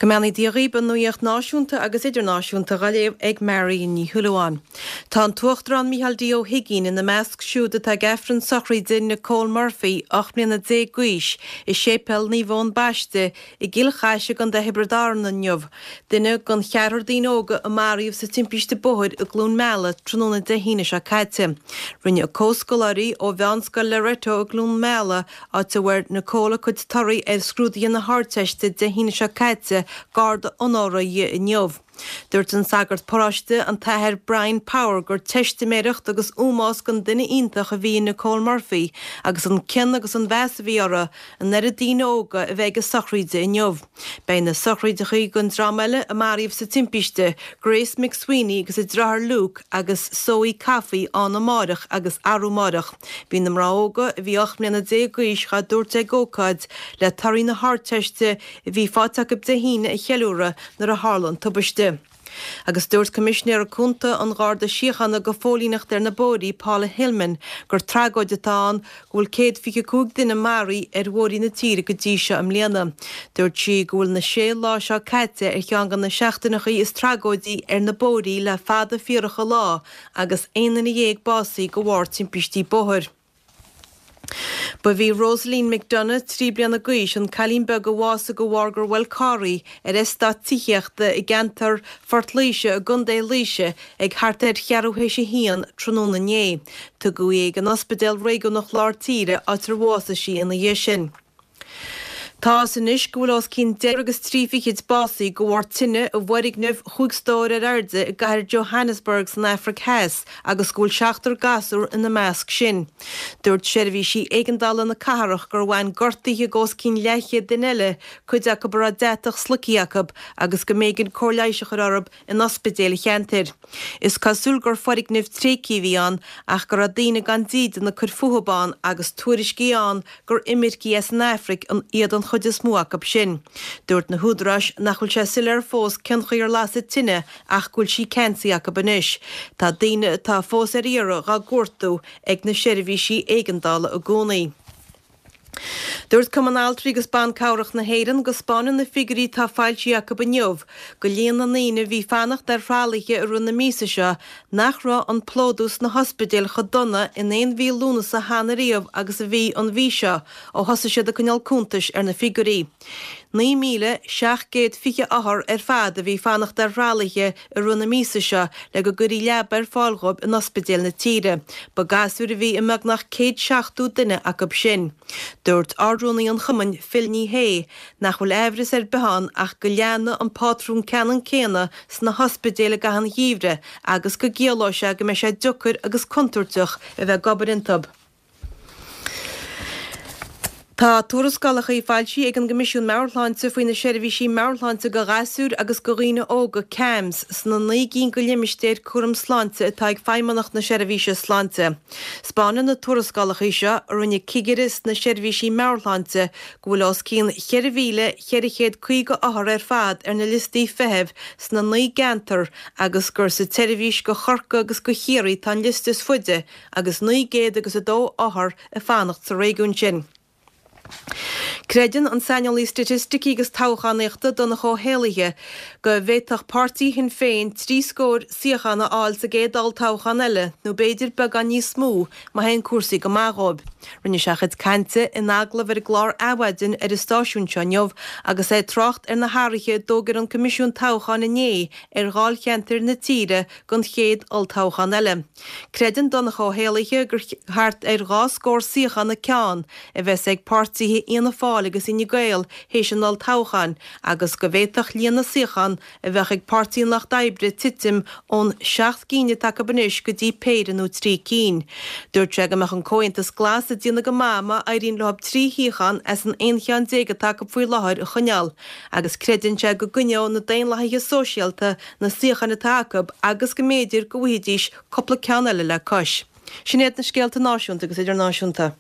Go mbeannaí Dia dhaoib, an nuaíocht náisiúnta agus idirnáisiúnta dhá léamh ag Mary Ní Shúilleabháin. Tá an tUachtarán Micheál D Ó hUigínn ina measc siúd atá ag Aifreann sochraide Nicole Murphy, 18 mbliana d'aois, i Séipéal Naomh Eoin Baiste i gCill Chais i gContae Thiobraid Árann inniu, duine den cheathrar daoine óga a maraíodh sa timpiste bóthair i gCluain Meala tráthnóna Dé hAoine seo caite. Rinne a comhscoláirí ó Mheánscoil Loreto i gCluain Meala áit a bhfuair Nicole a cuid torthaí ar scrúduithe na hArdteiste Dé hAoine seo caite, garda onóra dhi inniu. Dúirt an sagart paróiste, an tAthair Brian Power, gur teistiméireacht agus ómós don duine iontach a bhí in Nicole Murphy agus an cion agus an mheas a bhí uirthi, an oiread daoine óga a bheith ag a sochraíde inniu. Beidh na sochraideachaí don dream eile a maraíodh sa timpiste, Grace McSweeney agus a deartháir Luke agus Zoe Coffey ann amáireach agus arú amáireach. Bhí na mná óga, a bhí 18 mbliana d'aois, dhá dtabhairt ag ócáid le torthaí na hArdteiste a bhí faighte acu Dé hAoine a cheiliúradh nuair a tharla an tubaiste. Agus dúirt Coimisinéir Cúnta an Gharda Síochána do Phóilíneacht ar na Bóithrí, Paula Hillman, gur tragóid atá ann go bhfuil 125 duine maraithe ar bhóithrí na tíre go dtí seo i mbliana. Dúirt sí go bhfuil na sé lá seo caite ar cheann de na seachtaineachaí is tragóidí ar na bóithrí le fada fíorach an lá agus 11 duine básaithe de bharr timpistí bóthair. Ba í Rosaleen McDonagh, 3 bliana d'aois, an cailín beag a bhásaigh de bharr gur bhuail carr í ar eastát tithíochta i gceantar Phort Laoise i gContae Laoise ag thart ar cheathrú théis a haon tráthnóna inné. Tugadh í ag an Ospidéal Réigiúnach Lár Tíre áit ar bhásaigh sí ina dhiaidh sin. Tá fhios anois go bhfuil os cionn deichniúr agus trí fichid básaithe de bharr tine i bhfoirgneamh chúig stór ar airde i gcathair Johannesburg san Afraic Theas agus go bhfuil seachtar gasúr ina measc sin. Dúirt seirbhísí éigeandála na cathrach gur bhain gortuithe d'os cionn leathchéad duine eile, cuid acu a raibh deatach sloicthe acu, agus go mb'éigean cóir leighis a chur orthu in ospidéil an cheantair. Is cosúil gur foirgneamh tréigthe a bhí ann ach go raibh daoine gan dídean ag cur fúthub ann agus tuairiscí ann gur imircigh as an Afraic iad an chuid is mó acu sin. Dúirt na húdaráis nach bhfuil sé soiléir fós cén chaoi ar lasadh tine ach go bhfuil sí ceansaithe acu anois. Tá daoine atá fós ar iarraidh dhá gcuartú ag na seirbhísí éigeandála i gcónaí. Dúirt Cumann Altraí agus Ban Cabhrach na hÉireann go spáineann na figiúirí atá foilsithe acu inniu go líon na ndaoine a bhí ag fanacht ar thralaithe i rith na míosa seo nach raibh an plódú sna hospidéil chomh dona in aon mhí Lúnasa cheana riamh agus a bhí an mhí seo ó thosaigh siad ag coinneáil cuntais ar na figiúirí. 9,720 othar ar fad a bhí ag fanacht ar thralaithe i rith na míosa seo le go gcuirfí leaba ar fáil dhóibh in ospidéil na tíre. Ba gasúir a bhí i mbeagnach 170 duine acu sin. Dúirt Ard-Rúnaí an chumainn, Phil Ní Sheaghdha, nach bhfuil aimhreas ar bith ann ach go leanfaidh an pátrún ceannann céanna sna hospidéil i gcaitheamh an gheimhridh agus go gciallóidh sé go mbeidh sé deocair agus contúirteach a bheith ag obair iontu. Tá tuarascálacha foilsithe ag an gCoimisiún Meabhair-Shláinte faoi na seirbhísí meabhairshláinte do ghasúir agus do dhaoine óga, CAMHS, sna 9 gcinn de limistéir cúraim sláinte atá ag Feidhmeannacht na Seirbhíse Sláinte. Spáineann na tuarascálacha seo, a rinne cigire sna seirbhísí meabhairshláinte, go bhfuil os cionn 4,450 othar ar fad ar na liostaí feithimh sna 9 gceantar agus gur sa tseirbhís do Chorcaigh agus do Chiarraí atá an liosta is faide agus 902 othar ag fanacht sa réigiún sin. Creideann an saineolaí staitisticí agus toghchánaíochta Donncha Ó hÉallaithe go bhféadfadh páirtí Shinn Féin trí scór suíochán a fháil sa gcéad olltoghchán eile, nó b'fhéidir beagán níos mó má théann cúrsaí go maith dhóibh. Rinne sé a chuid cainte in agallamh ar an gclár Adhmhaidin ar an stáisiún seo inniu agus é ag trácht ar na hathruithe a d'fhógair an Coimisiún Toghcháin inné ar dháilcheantair na tíre don chéad olltoghchán eile. Creideann Donncha Ó hÉallaithe gur thart ar dhá scór suíochán an ceann a bheas ag páirtithe Fhianna Fáil agus Fhine Gael théis an olltoghcháin agus go bhféadfadh líon na suíochán a bheadh ag Páirtí an Lucht Oibre titim ón seacht gcinn atá acu anois go dtí péire nó trí cinn. Dúirt sé go mbeadh an Comhaontas Glas ag déanamh go maith má éiríonn leo trí shuíochán as an aon cheann déag atá acu faoi láthair a choinneáil agus creideann sé go gcoinneoidh na Daonlathaithe Sóisialta na suíocháin atá acu agus go mb'fhéidir go bhfaighidís cúpla ceann eile le cois. Sin iad na scéalta náisiúnta agus idirnáisiúnta.